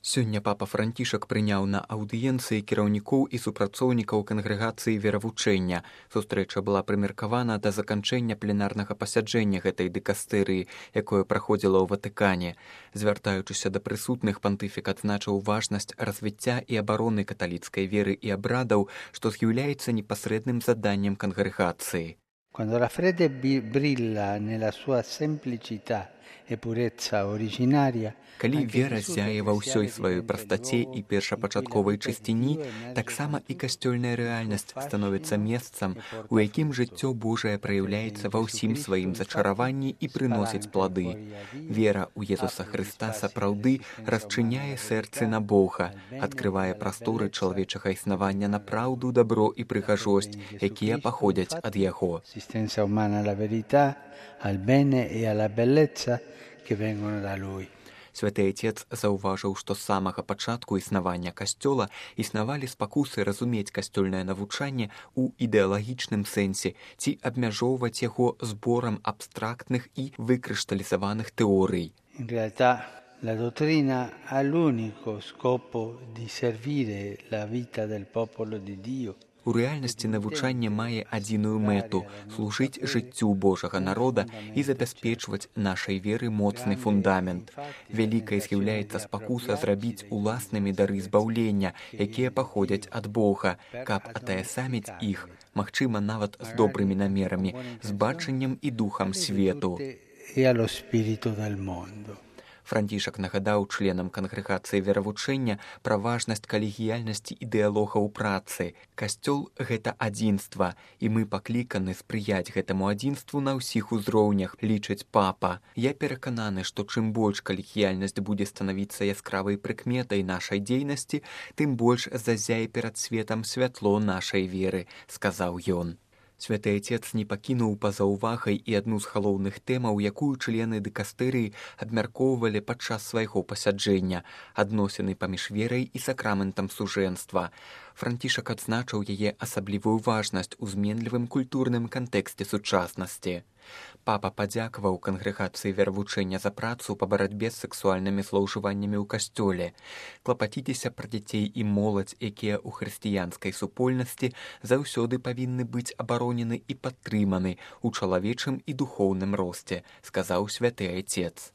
Сёння папа Францішак прыняў на аўдыенцыі кіраўнікоў і супрацоўнікаў кангрэгацыі веравучэння. Сустрэча была прымеркавана да заканчэння пленарнага пасяджэння гэтай дыкастэрыі, якое праходзіла ў Ватыкане. Звяртаючыся да прысутных, пантыфік адзначыў важнасць развіцця і абароны каталіцкай веры і абрадаў, што з'яўляецца непасрэдным заданнем кангрэгацыі. Quando la fede brilla nella sua semplicità e purezza originaria, Калі вера ззяе ва ўсёй сваёй прастаце і першапачатковай чысціні, таксама і касцёльная рэальнасць становіцца месцам, у якім жыццё Божае праяўляецца ва ўсім сваім зачараванні і прыносіць плады. Вера ў Езуса Хрыста сапраўды расчыняе сэрцы на Бога, адкрывае прасторы чалавечага існавання на праўду, дабро і прыгажосць, якія паходзяць ад Яго. L'assistenza umana alla verità, al bene e alla bellezza che vengono da Lui. Святы Отец заўважыў, што з самага пачатку існавання касцёла існавалі спакусы разумець касцёльнае навучанне ў ідэалагічным сэнсе ці абмяжоўваць яго зборам абстрактных і выкрышталізаваных тэорый. In realtà la dottrina ha l'unico scopo di servire la vita del popolo di Dio. У рэальнасці навучанне мае адзіную мэту – служыць жыццю Божага народа і забяспечваць нашай веры моцны фундамент. Вялікай з'яўляецца спакуса зрабіць уласнымі дары збаўлення, якія паходзяць ад Бога, каб атаясаміць іх, магчыма, нават з добрымі намерамі, з бачаннем і духам свету. Францішак нагадаў членам кангрэгацыі веравучэння пра важнасць калегіяльнасці ідэалогаў працы. Касцёл – гэта адзінства, і мы пакліканы спрыяць гэтаму адзінству на ўсіх узроўнях, лічыць папа. Я перакананы, што чым больш калегіяльнасць будзе станавіцца яскравай прыкметай нашай дзейнасці, тым больш зазяе перад светам святло нашай веры, сказаў ён. Святы Отец не пакінуў па-за ўвагай і адну з галоўных тэмаў, якую члены дыкастэрыі абмяркоўвалі падчас свайго пасяджэння – адносіны паміж верай і сакраментам сужэнства. Францішак адзначыў яе асаблівую важнасць у зменлівым культурным кантэксце сучаснасці. Папа падзякаваў кангрэгацыі веравучэння за працу па барацьбе з сексуальнымі злоўжываннямі ў касцёле. Клапаціцеся пра дзяцей і моладзь, якія ў хрысціянскай супольнасці заўсёды павінны быць абаронены і падтрыманы ў чалавечым і духоўным росце, сказаў святы Отец.